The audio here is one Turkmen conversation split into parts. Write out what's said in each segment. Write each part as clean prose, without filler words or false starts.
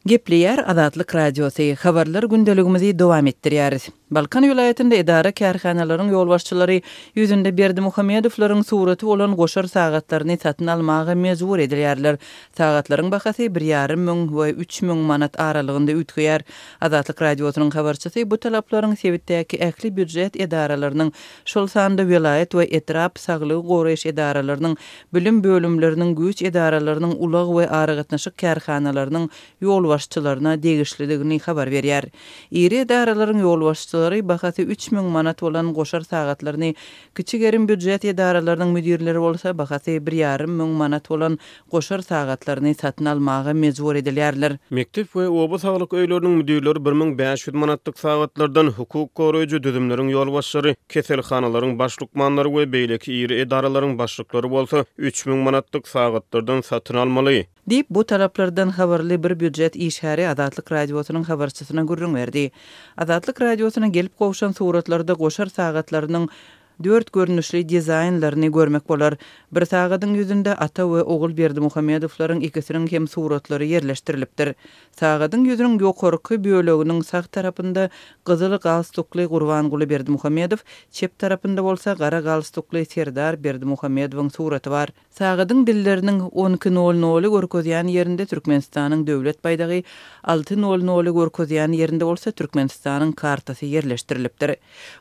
Gepleýär Azatlyk Radiosy, Habarlar gündeligimizi dowam etdirýäris. Balkan welaýatynda edara-kärhanalaryň ýolbaşçylary ýüzünde Berdimuhamedowlaryň suraty bolan goşar sagatlaryny satyn almaga mejbur edilýärler. Sagatlaryň bahasy bir ýarym müň we 3000 manat aralygynda üýtgeýär. Azatlyk Radiosynyň habarçysy bu talaplaryň sebitdäki ähli býujet edaralarynyň, şol sanda welaýat we etrap saglygy goraýyş edaralarynyň, bilim bölümleriniň, güýç edaralarynyň, ulag we aragatnaşyk kärhanalarynyň ýolbaşçylaryna degişlidigini habar berýär. Iri edaralaryň ýolbaşçylary bahasy 3000 manat bolan goşar sagatlaryny, kiçi gerim býujet edaralarynyň müdirleri bolsa bahasy bir ýarym müň manat bolan goşar sagatlaryny satyn almaga mejbur edilýärler. Mekdep we oba saglyk öýleriniň müdirleri 1500 manatlyk sagatlardan, hukuk goraýjy düzümleriň ýolbaşçylary, keselhanalaryň baş lukmanlary we beýleki iri edaralaryň başlyklary bolsa 3000 manatlyk sagatlardan satyn almaly. Diýip, bu talaplardan habarly bir býujet işgäri Azatlyk Radiosynyň habarçysyna gürrüň berdi. Azatlyk Radiosyna gelip gowşan suratlarda goşar sagatlarynyň dört görnüşli dizaýnlaryny görmek bolar. Bir sagadyň ýüzünde ata we ogul Berdimuhamedowlaryň ikisiniň hem suratlary ýerleşdirilipdir. Sagadyň ýüzüniň ýokarky böleginiň sag tarapynda gyzyl galstukly Gurbanguly Berdimuhamedow, çep tarapynda bolsa gara galstukly Serdar Berdimuhamedowyň suraty bar. Sagadyň dilleriniň on iki nol noly görkezýän ýerinde Türkmenistanyň Döwlet baýdagy, alty nol noly görkezýän ýerinde bolsa Türkmenistanyň kartasy ýerleşdirilipdir.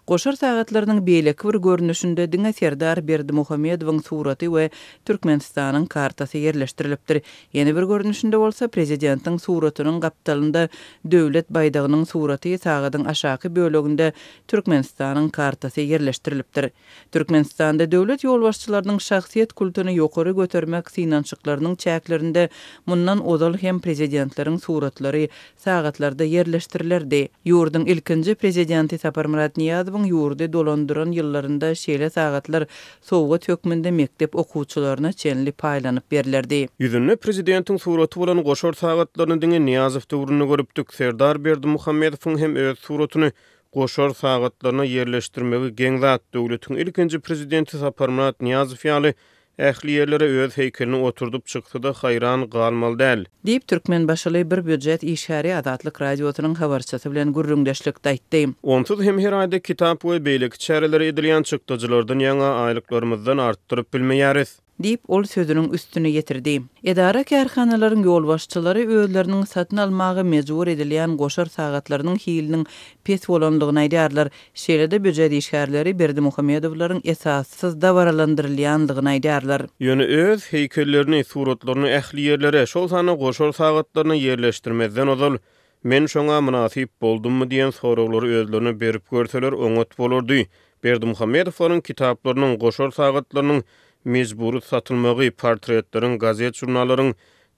Goşar sagatlarynyň beýleki bir görnüşinde diňe Serdar Berdimuhamedowyň suraty we Türkmenistanyň kartasy ýerleşdirilipdir. Ýene bir görnüşinde bolsa prezidentiň suratynyň gapdalynda Döwlet baýdagynyň suraty, sagadyň aşaky böleginde Türkmenistanyň kartasy ýerleşdirilipdir. Türkmenistanda döwlet ýolbaşçylarynyň şahsyýet kultuny ýokary götermek synanyşyklarynyň çäklerinde mundan ozal hem prezidentleriň suratlary sagatlarda ýerleşdirilerdi. Ýurduň ilkinji prezidenti Saparmyrat Nyýazowyň ýurdy dolandyran ýyllarynda şeýle sagatlar sowgat hökmünde mekdep okuwçylaryna çenli paýlanyp berlerdi. Ýüzünde prezidentiň suraty bolan goşar sagatlaryny diňe Nyýazow döwründe görüpdik. Serdar Berdimuhamedowyň hem öz suratyny goşar sagatlaryna ýerleşdirmegi geň zat. Döwletiň ilkinji prezidenti Saparmyrat Nyýazow ýaly ähli ýerlere öz heýkelini oturdyp çyksa-da haýran galmaly däl. Diýip, türkmenbaşyly bir býujet işgäri Azatlyk Radiosynyň habarçysy bilen gürrüňdeşlikde aýtdy. Onsuz hem her aýda kitap we beýleki çärelere edilýän çykdajylardan ýaňa aýlyklarymyzdan artdyryp bilmeýäris. Diýip, ol sözüniň üstüni ýetirdi. Edara-kärhanalaryň ýolbaşçylary özleriniň satyn almaga mejbur edilýän goşar sagatlarynyň hiliniň pes bolandygyny aýdýarlar. Şeýle-de býujet işgärleri Berdimuhamedowlaryň esassyz dabaralandyrylýandygyny aýdýarlar. Ýöne öz heýkellerini, suratlaryny ähli ýerlere, şol sanda goşar sagatlaryna ýerleşdirmezden ozal, Men şoňa mynasyp boldummy diýen soraglary özlerine berip görseler oňat bolardy. Berdimuhamedowlaryň kitaplarynyň, goşar sagatlarynyň mejbury satylmagy, portretleriň, gazet-žurnallaryň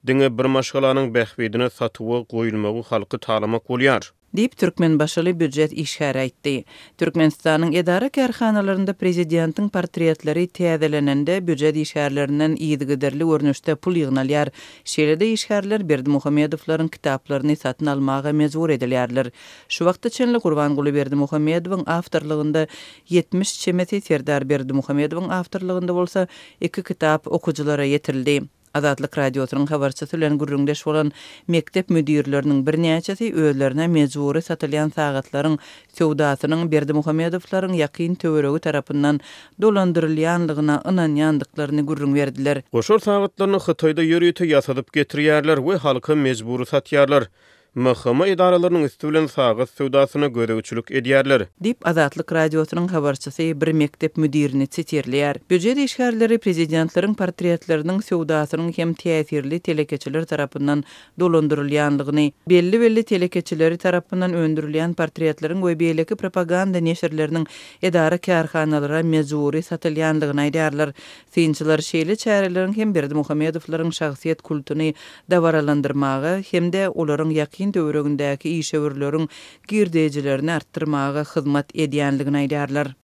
diňe bir maşgalanyň bähbidine satuwa goýulmagy halky talamak bolýar. Diýip, türkmenbaşyly býujet işgäri aýtdy. Türkmenistanyň edara-kärhanalarynda prezidentiň portretleri täzelenende býujet işgärlerinden yzygiderli görnüşde pul ýygnalýar. Şeýle-de işgärler Berdimuhamedowlaryň kitaplaryny satyn almaga mejbur edilýärler. Şu wagta çenli Gurbanguly Berdimuhamedowyň awtorlygynda 70 çemesi, Serdar Berdimuhamedowyň awtorlygynda bolsa iki kitap okyjylara ýetirildi. Azatlyk Radiosynyň habarçysy bilen gürrüňdeş bolan mekdep müdirleriniň birnäçesi özlerine mejbury satylýan sagatlaryň söwdasynyň Berdimuhamedowlaryň ýakyn töweregi tarapyndan dolandyrylýanlygyna ynanýandyklaryny gürrüň berdiler. Goşar sagatlaryny Hytaýda ýörite ýasadyp getirýärler we halka mejbury satýarlar. MHM edaralarynyň üsti bilen sagat söwdasyna gözegçilik edýärler. Diýip, Azatlyk Radiosynyň habarçysy bir mekdep müdirini sitirleýär. Býujet işgärleri prezidentleriň portretleriniň söwdasynyň hem täsirli telekeçiler tarapyndan dolandyrylýanlygyny, belli-belli telekeçileri tarapyndan öndürilýän portretleriň we beýleki propaganda neşirleriniň edara-kärhanalara mejbury satylýanlygyny aýdýarlar. Synçylar şeýle çäreleriň hem Berdimuhamedowlaryň şahsyýet kultuny dabaralandyrmaga hem-de olaryň ýakyn töweregindäki işewürleriň girdejilerini artdyrmaga hyzmat edýänligini aýdýarlar.